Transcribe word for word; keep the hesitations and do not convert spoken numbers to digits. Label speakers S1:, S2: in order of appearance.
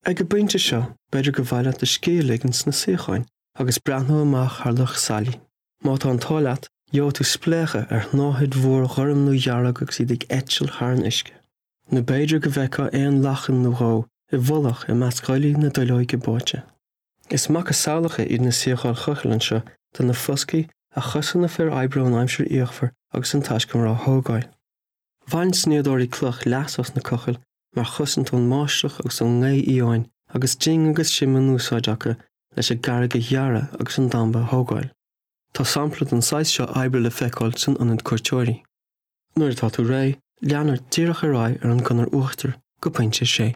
S1: Ag an bpointe seo, b'fhéidir gur mhaith leat do scíth a ligean sna suíocháin agus breathnú amach thar Loch Sailí. Má tá an t-ádh leat, gheobhaidh tú spléachadh ar shnáthaid mhór ghorm nó dhearg agus iad ag eitilt thar an uisce. Nó b'fhéidir go bhfeicfeá éan lachan nó dhó i bhfolach i measc dhuillí na duilleoige báite. Is macasamhlacha iad na suíocháin chochaill anseo de na foscaí a chosain na fir oibre ón aimsir fhíochmhar agus an taiscumar á thógáil. Bhain snoíodóirí cloch leas as na cochaill mar chosaint ón mbáisteach agus ón ngaoth fhiáin agus ding agus sim in úsáid acu leis an gcarraig a ghearradh agus an damba a thógáil. Tá sampla den saghas seo oibre le feiceáil san ionad cuairteoirí. Nuair atá tú réidh, lean ort díreach ar aghaidh ar an gconair uachtair go pointe sé.